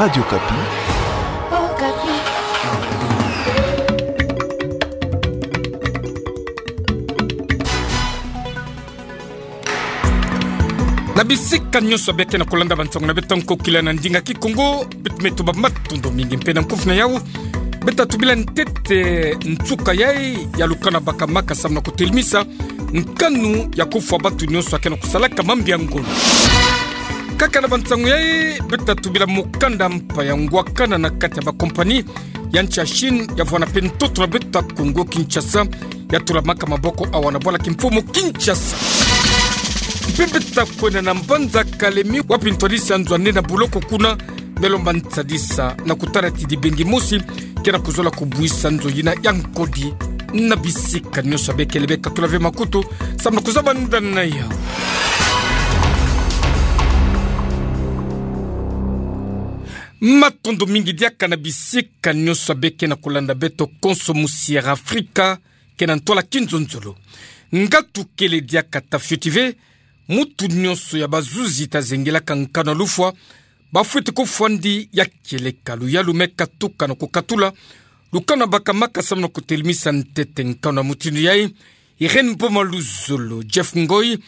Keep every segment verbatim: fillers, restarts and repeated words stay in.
Radio Okapi. Na bisika nyonso beke na kolanda bansango na beto ya nkokila na ndinga Kikongo, beto me tuba matondo mingi mpe na nkufi na yau. Beto tubila ntete nsuka yai ya lukanu bakamaka samu na kotelemisa nkanu ya kofwa bantu nyonso ake na kosalaka mambi ya ngolo. Kaka na bansango yai, beto tubila mokanda mpa ya ngwakana na kati ya bakompani ya nsi ya Chine, ya vwanda mpe ntoto na beto ya Kongo Kinshasa, ya tulamaka maboko awa na bwala kimfumu Kinshasa. Mpe beto kwenda na mbanza Kalemi, wapi ntwadisi ya nzo ya nde na boloko kuna me lomba nsadisa na kutala ti dibengi mosi ke na kuzola kobuisa nzo yina ya nkodi. Na bisika nyonso beke lebe katula ve makutu samu na kuzaba nda na yau. Matondo mingi diaka na bisika nyonso beke na kolanda beto konso musi ya Afrika ke na ntwala kinzonzolo. Nga tukele diaka ta fioti ve, mutu nyonso ya bazuzi ta zengelaka nkanu ya lufwa, bafwete kofwandi ya kieleka luyalu me katuka na kokatula lukanu bakamaka samu na kotelemisa ntete nkanu ya mutindu yai. Irène Boma Luzolo, Jeff Ngoy,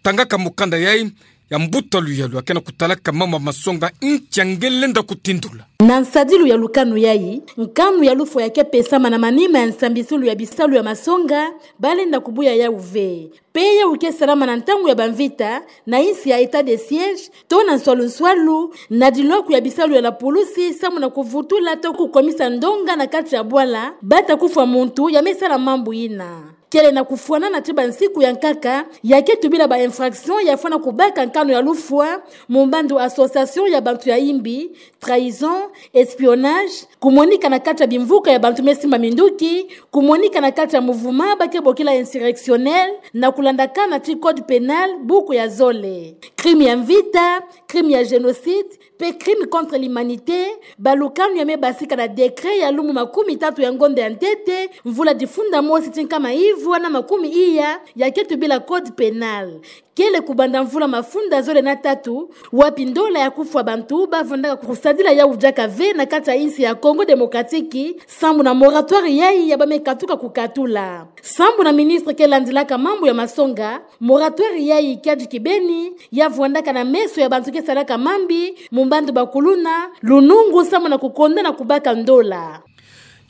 tangaka mokanda yai ya mbuta luyalu ake na kotalaka mambu ya masonga nki ya nge lenda kotindula. Na nsadilu ya lukanu yai, nkanu ya lufwa ya ke pesama na manima ya nsambisilu ya bisalu ya masonga, ba lenda kobuya yau ve. Mpe yau ke salama na ntangu ya bamvita, na insi ya état de siège, to na nswalu-nswalu, na dilwaku ya bisalu ya la pulusi, samu na kovutula to kokomisa ndonga na kati ya bwala, bata kofwa muntu ya me sala mambu yina. Kele na kofwanana ti bansiku ya nkaka, ya ke tubila ba infraction ya fwana kobaka nkanu ya lufwa, mu mbandu association ya bantu ya imbi, trahison, espionnage, komonika na kati ya bimvuka ya bantu me simba minduki, komonika na kati ya mouvement ba ke bokila insurrectionnel, na kolandakana ti code pénal, buku ya zole. Crime ya mvita, crime ya génocide, mpe crime contre l'humanité, balukanu ya me basika na décret ya lumbu makumi tatu ya ngonda ya ntete, mvula difunda mosi ti nkama ivwa na makumi iya, ya ke tubila code pénal. Kele kobanda mvula mafunda zole na tatu, wapi ndola ya kofwa bantu ba vandaka kosadila yau diaka ve na kati ya insi ya Congo Démocratique, sambu na moratoire yai ya ba me katuka kokatula. Sambu na ministre ke landilaka mambu ya masonga, moratoire yai kiadi kibeni, ya vandaka na meso ya bantu ke salaka mambi, mu mbandu bakuluna, lunungu sambu na kokonda na kobaka ndola.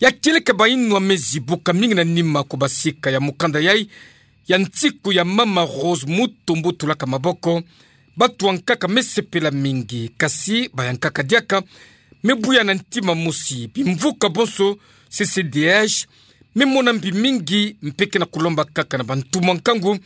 Ya kieleka bayinwa me zibuka mingi na nima ko basika ya mokanda yai, ya nsiku ya mama Rose Mutombo tulaka maboko, batu ya nkaka me sepela mingi, kasi baya nkaka diaka me buya na ntima mosi, bimvuka bonso C C D H me mona mbi mingi, mpe ke na kolomba kaka na bantumwa nkangu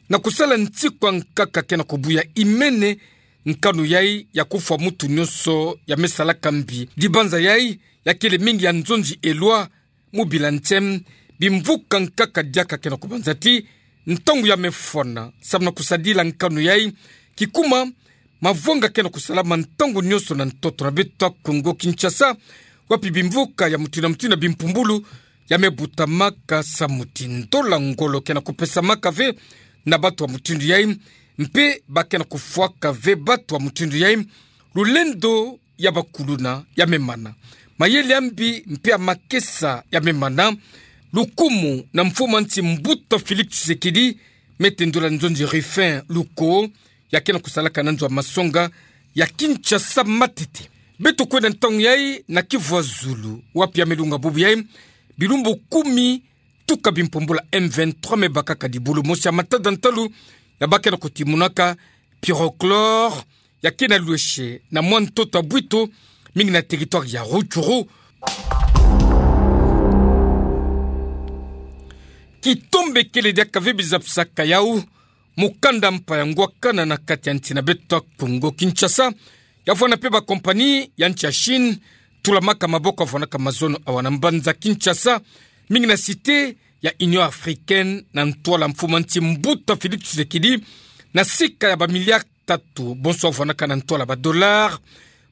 na kosala nsiku ya nkaka ke na kobuya imene nkanu yai ya kofwa mutu nyonso ya me salaka mbi. Dibanza yai ya kele mingi ya nzonzi elwa, mu bila ntem, bimvuka nkaka diaka ke na kobanza ti ntangu ya me fwana, sambu na kosadila nkanu yai, kikuma mavanga ke na kosalama ntangu nyonso na ntoto na beto ya Congo Kinshasa, wapi bimvuka ya mutindu na mutindu ya bimpumbulu ya me butamaka samu ti ndola ngolo ke na kopesamaka ve na batu ya mutindu yai, mpe ba ke na kofwaka ve batu ya mutindu yai, lulendo ya bakuluna ya me mana. Mayele ya mbi mpe ya makesa ya me mana. Lukumu na mfumu ya nsi mbuta Félix Tshisekedi, me tendula nzonzi Rufin Luko, ya ke na kosalaka na nzo ya masonga ya Kinshasa matete. Beto kwenda ntangu yai na Kivu ya Zulu, wapi ya me lunga bubu yai, bilumbu kumi tuka bimpumbulu ya M vingt-trois me bakaka dibulu mosi ya matada ntalu, ya ba ke na kotimunaka pyrochlore, ya ke na lwese na mwa ntoto ya bwito, mingi na territoire ya Rutshuru. Kitombe kele diaka ve bizapisaka yau, mokanda mpa ya ngwakana na kati ya nsi na beto ya Congo Kinshasa, ya vwanda mpe bakompani ya nsi ya Chine, tulamaka maboko ya vwandaka mazono awa na mbanza Kinshasa, mingi na cité ya Union Africaine, na ntwala mfumu ya nsi mbuta Félix Tshisekedi, na sika ya ba milliards tatu, bonso ya vwandaka na ntwala ba dollars.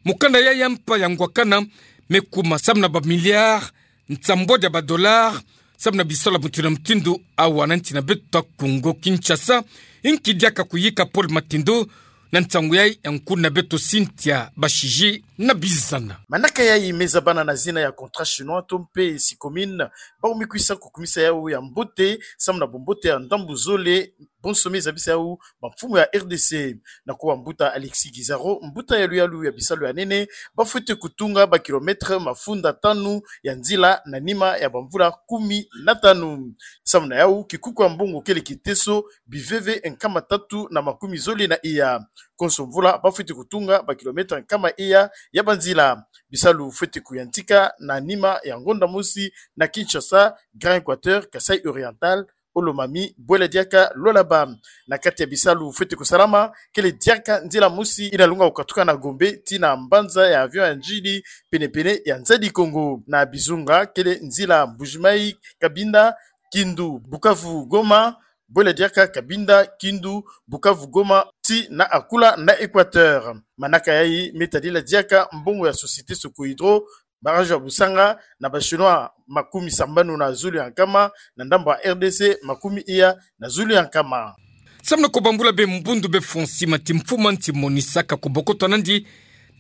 Mokanda yai ya mpa ya ngwakana me kuma samu na ba milliards nsambwadi ya ba dollars, samu na bisalu ya mutindu na mutindu awa na nsi na beto ya Congo Kinshasa. Inki diaka koyika Paul Matindo, Na nsangu yai, ya nkuna beto Cynthia Bashiji na bizana. Manaka yai me zabana na zina ya Contrat Chinois to mpe Sycomine, bau mikwisa kukumisa yau ya mbote, samu na bumbote ya ndambu zole, bonso me zabisa yau bamfumu ya R D C. Na kuwa mbuta Alexis Gisaro, mbuta ya luyalu ya bisalu ya nene, bafwete kutunga ba kilomètre mafunda tanu ya nzila na nima ya bamvula kumi na tanu. Samu na yau, kikuku ya mbongo kele kiteso, biveve nkama tatu na makumi zole na iya. Konso mvula, bafwete kutunga ba kilomètre nkama iya ya banzila. Bisalu fwete kuyantika na nima ya ngonda mosi na Kinshasa, Grand Equateur, Kasaï Oriental, Olomami, Bwele Diaka, Lualaba. Na kati ya bisalu fwete kusalama, kele diaka nzila mosi ina lunga kukatuka na Gombe tii na mbanza ya avion ya Ndjili, penepene ya Nzadi Kongo. Na bizunga, kele nzila Mbujimayi, Cabinda, Kindu, Bukavu, Goma, Bwele Diaka, Cabinda, Kindu, Bukavu, Goma, tii na Akula na Equateur. Manaka yai me tadila diaka mbongo ya Société Socohydro, barrage ya Busanga, na ba Chinois makumi sambanu na zulu ya nkama, na ndambu ya R D C makumi iya na zulu ya nkama. Samu na kubambula be mbundu be fwa nsima ti mfumu nsi monisaka kubokota nandi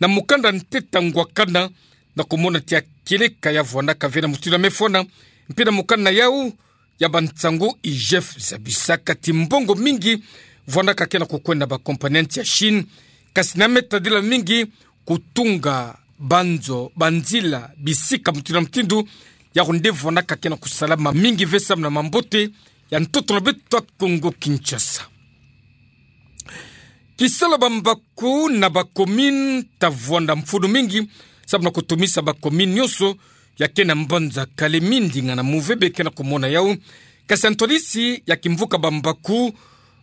na mukanda nteta ngwakana, na kumona tia kieleka ya vwanaka ve na mutindu ya me fwana, mpe na mukanda yau, ya bansangu I G F zabisaka ti mbongo mingi vwanaka ke na kukwenda ba compagnie nsi ya Chine, kasi na me tadila mingi kutunga banzo, banzila, bisika mutindu na mutindu, yau nde vwanaka ke na kusalama mingi ve samu na mambote ya ntoto na beto ya Kongo Kinshasa. Kisalu ya bambaku na ba commune ta vwanda mfunu mingi, samu na kutomisa ba commune nyonso ya ke na mbanza Kalemi. Ndinga na move be ke na kumona yau. Kasi ya ntwadisi ya kimvuka bambaku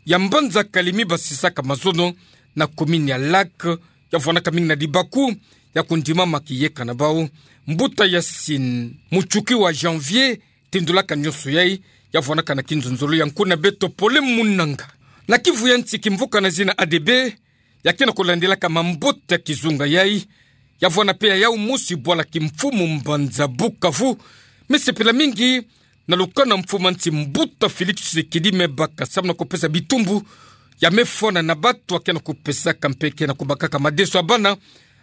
ya mbanza Kalemi basisaka mazono na commune ya Lac, ya vwanaka mingi na dibaku ya kundimama kiyeka na bau. Mbuta Yassine Mutshuki wa Janvier, tindulaka nyonso yai, ya vwanaka na kinzonzolo ya nkuna beto Pole Munanga. Na Kivu ya nsi kimvuka na zina A D B, ya ke na kulandilaka mambote ya kizunga yai, ya vwana pe ya yau mosi bwala kimfumu mbanza Bukavu, me sepela mingi na lukana mfumu nsi mbuta Félix Tshisekedi me baka samu na kupesa bitumbu ya me fwana na bato ya ke na kupesaka mpe ke na kubakaka madeso ya bana,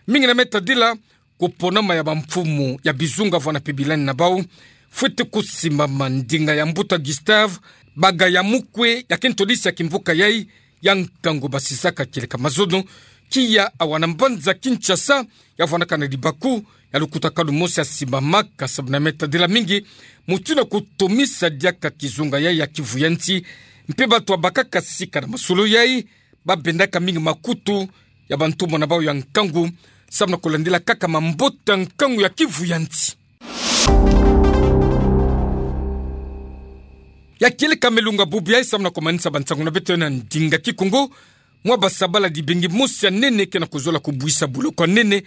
mingi na me tadila kuponama ya bamfumu ya bizunga vwana pe bilani na bau fwete kusimbama. Ndinga ya mbuta Gustave Bagayamukwe, ya ke ntwadisi ya kimvuka yai ya nkangu basisaka kieleka mazono, kiya awa na mbanza Kinshasa, ya vwanaka na dibaku ya lukutakanu mosi ya simbamaka samu na me tadila mingi mutindu ya kutomisa diaka kizunga yai ya Kivu ya nsi, mpe bato ya bakaka sika na masolo yai, babendaka mingi makutu ya bantumwa na bau ya nkangu, samu na kulandila kaka mambote ya nkangu ya Kivu ya nsi. Ya kieleka me lunga bubu yai samu na kumanisa bansangu na beto na ndinga Kikongo. Mwa basabala dibengi mosi ya nene ke na kuzola kubwisa boloko ya nene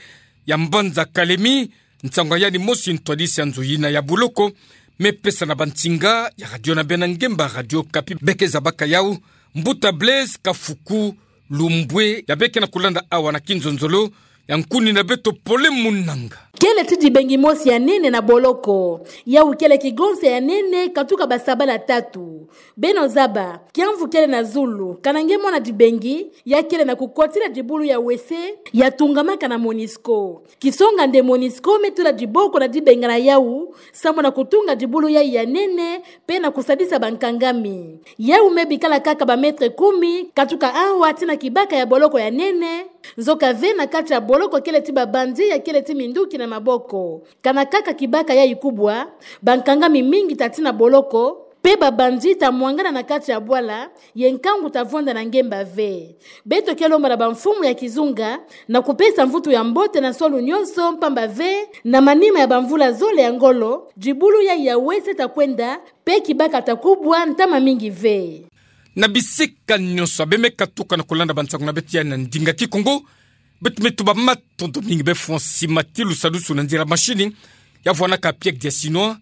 ya mbanza Kalemi, nsangu ya yandi mosi ntwadisi ya nzo yina ya boloko me pesa na bansinga ya radio na bena ngemba Radio Okapi, be ke zabaka yau, mbuta Blaise Kafuku Lumbwe, ya be ke na kulanda awa na kinzonzolo ya nkuni na beto Pole Munanga. Kele ti dibengi mosi ya nene na boloko. Yau kele kigonse ya nene katuka basabala tatu. Beno zaba, kiamvu kele na zulu, kana nge mwana dibengi, ya kele na kukotila dibulu ya wese ya tungamaka na Monusco. Kisonga nde Monusco me tula diboko na dibengana yau, samu na kutunga dibulu yai ya nene, pe na kusadisa bankangami. Yau me bikala kaka ba mètre kumi, katuka awa tii na kibaka ya boloko ya nene. Nzoka ve na kati ya boloko kele ti ba bandit ya kele ti minduki na maboko. Kana kaka kibaka yai kubwa, bankangami mingi ta tii na boloko, pe ba bandit ta mwangana na kati ya bwala, ye nkangu ta vwanda na ngemba ve. Beto ke lomba na bamfumu ya kizunga na kupesa mvutu ya mbote na nsolu nyonso, mpamba ve, na manima ya bamvula zole ya ngolo, dibulu yai ya wese ta kwenda, pe kibaka ta kubwa ntama mingi ve. Na bisika nyonso ya be me katuka na kulanda bansangu na beto ya na ndinga Kikongo, beto me tuba matondo mingi be fwa nsima ti lusadusu na nzila mashini, ya vwanaka Piek dia Chinois,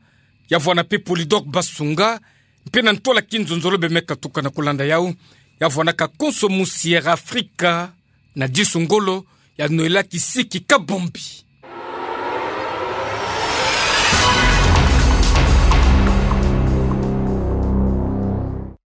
ya vwana pe Polydor Basunga, mpe na ntwala kinzonzolo be me katuka na kulanda yau, ya vwanaka konso mu Sierra Africa, na disu ngolo, ya Noëlla Kisiki Kabombi.